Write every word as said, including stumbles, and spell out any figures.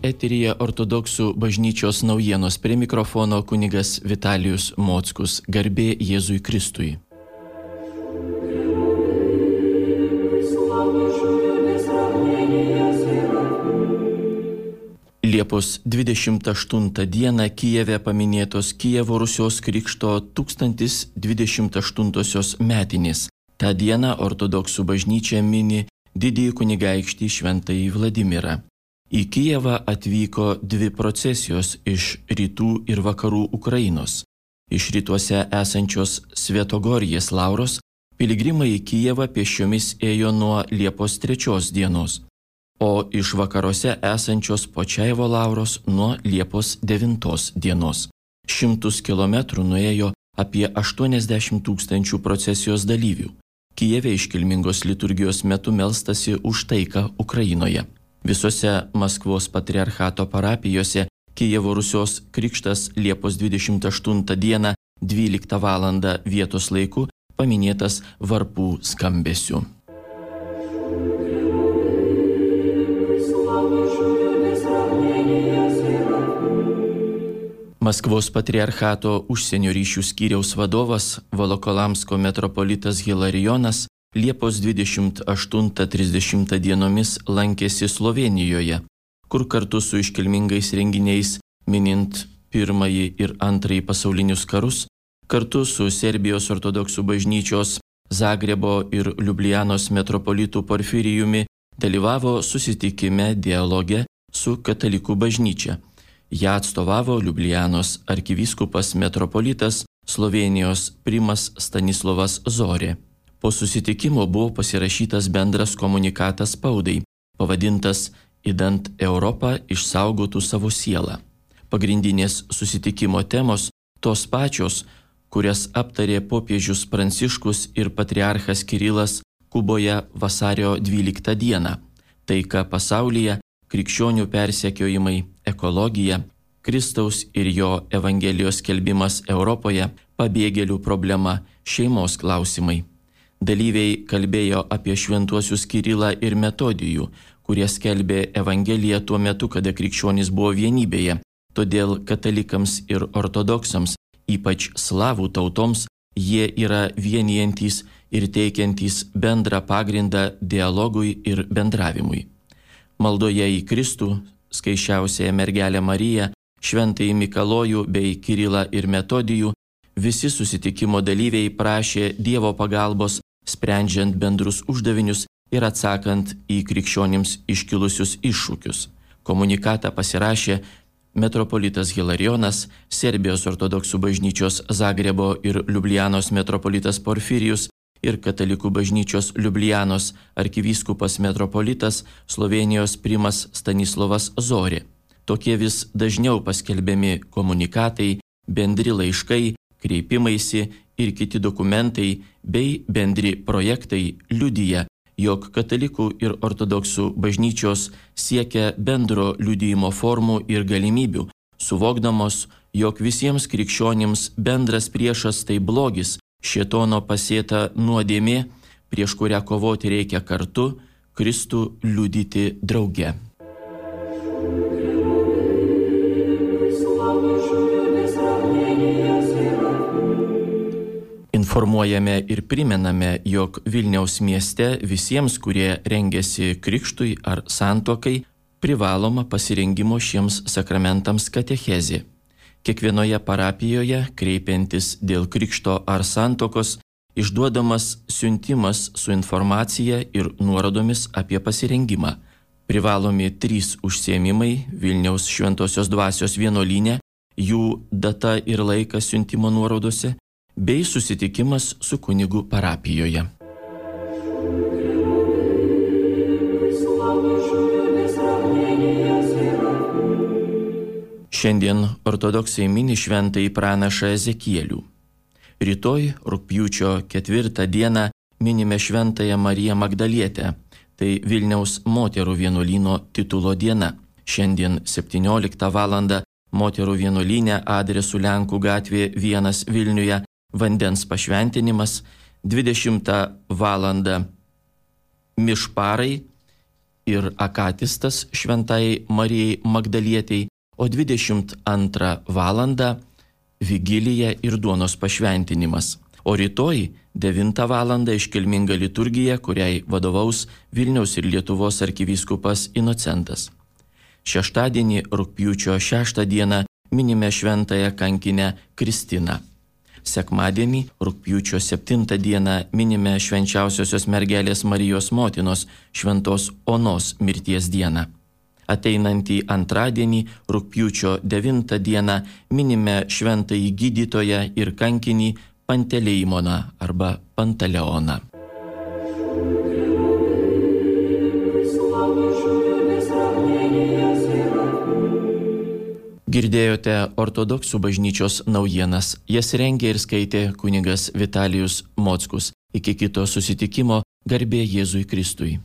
Eteryje ortodoksų bažnyčios naujienos, prie mikrofono kunigas Vitalijus Mockus. Garbė Jėzui Kristui. Liepos dvidešimt aštuntą dieną Kijeve paminėtos Kijevo Rusios krikšto tūkstantis dvidešimt aštuntosios metinės. Ta diena ortodoksų bažnyčia mini didįjį kunigaikštį Šventąjį Vladimirą. Į Kijevą atvyko dvi procesijos iš rytų ir vakarų Ukrainos. Iš rytuose esančios Svetogorjės Lauros piligrimai į Kijevą pėsčiomis ėjo nuo Liepos trečios dienos, o iš vakaruose esančios Počaivo Lauros nuo Liepos devintos dienos. Šimtus kilometrų nuėjo apie aštuoniasdešimt tūkstančių procesijos dalyvių. Kijeve iškilmingos liturgijos metu melstasi už taiką Ukrainoje. Visose Maskvos patriarchato parapijose Kijevo Rusios krikštas Liepos dvidešimt aštuntą dieną dvyliktą valandą vietos laiku paminėtas varpų skambesiu. Maskvos patriarchato užsienio ryšių skyriaus vadovas Volokolamsko metropolitas Hilarijonas Liepos dvidešimt aštuntą trisdešimtą dienomis lankėsi Slovėnijoje, kur kartu su iškilmingais renginiais minint pirmąjį ir antrąjį pasaulinius karus, kartu su Serbijos ortodoksų bažnyčios Zagrebo ir Liublianos metropolitu Porfirijumi dalyvavo susitikime dialoge su katalikų bažnyčia. Ja atstovavo Liublianos arkivyskupas metropolitas Slovėnijos primas Stanislovas Zorė. Po susitikimo buvo pasirašytas bendras komunikatas spaudai, pavadintas "Idant Europą išsaugotų savo sielą". Pagrindinės susitikimo temos tos pačios, kurias aptarė popiežius Pranciškus ir patriarchas Kirilas Kuboje vasario dvyliktą dieną. Taika pasaulyje, krikščionių persekiojimai, ekologija, Kristaus ir jo evangelijos skelbimas Europoje, pabėgėlių problema, šeimos klausimai. Dalyviai kalbėjo apie šventuosius Kirilą ir Metodijų, kurie skelbė Evangeliją tuo metu, kada krikščionys buvo vienybėje. Todėl katalikams ir ortodoksams, ypač slavų tautoms, jie yra vienijantys ir teikiantys bendrą pagrindą dialogui ir bendravimui. Maldoje į Kristų, skaisčiausiąją mergelę Mariją, Šventąjį Mikalojų bei Kirilą ir Metodijų, visi susitikimo dalyviai prašė Dievo pagalbos, sprendžiant bendrus uždavinius ir atsakant į krikščionims iškilusius iššūkius. Komunikatą pasirašė metropolitas Hilarijonas, Serbijos ortodoksų bažnyčios Zagrebo ir Liublianos metropolitas Porfirijus ir katalikų bažnyčios Liublianos arkivyskupas metropolitas Slovėnijos primas Stanislovas Zorė. Tokie vis dažniau paskelbiami komunikatai, bendri laiškai, kreipimaisi ir kiti dokumentai bei bendri projektai liudija, jog katalikų ir ortodoksų bažnyčios siekia bendro liudijimo formų ir galimybių, suvokdamos, jog visiems krikščionims bendras priešas tai blogis, šėtono pasėta nuodėmė, prieš kurią kovoti reikia kartu, Kristų liudyti drauge. Informuojame ir primename, jog Vilniaus mieste visiems, kurie rengiasi krikštui ar santuokai, privaloma pasirengimo šiems sakramentams katechezė. Kiekvienoje parapijoje, kreipiantis dėl krikšto ar santuokos, išduodamas siuntimas su informacija ir nuorodomis apie pasirengimą. Privalomi trys užsiėmimai Vilniaus Šventosios Dvasios vienuolyne, jų data ir laikas siuntimo nuorodose, bei susitikimas su kunigu parapijoje. Šiandien ortodoksai mini šventąjį pranašą Ezekielių. Rytoj, rugpjūčio ketvirtą dieną, minime šventąją Mariją Magdalietę. Tai Vilniaus moterų vienuolyno titulo diena. Šiandien septynioliktą valandą moterų vienuolyne adresu Lenkų gatvė vienas Vilniuje vandens pašventinimas, dvidešimtą valandą mišparai ir akatistas šventai Marijai Magdalietei, o dvidešimt antrą valandą vigilija ir duonos pašventinimas. O rytoj devintą valandą iškilminga liturgija, kuriai vadovaus Vilniaus ir Lietuvos arkivyskupas Inocentas. Šeštadienį rugpjūčio šeštą dieną minime šventąją kankinę Kristiną. Sekmadienį rugpjūčio septintą dieną minime švenčiausiosios mergelės Marijos motinos šventos Onos mirties dieną. Ateinantį antradienį rugpjūčio devintą dieną minime šventąjį gydytoją ir kankinį Panteleimoną arba Pantaleoną. Girdėjote ortodoksų bažnyčios naujienas. Jas rengė ir skaitė kunigas Vitalijus Mockus. Iki kito susitikimo, garbė Jėzui Kristui.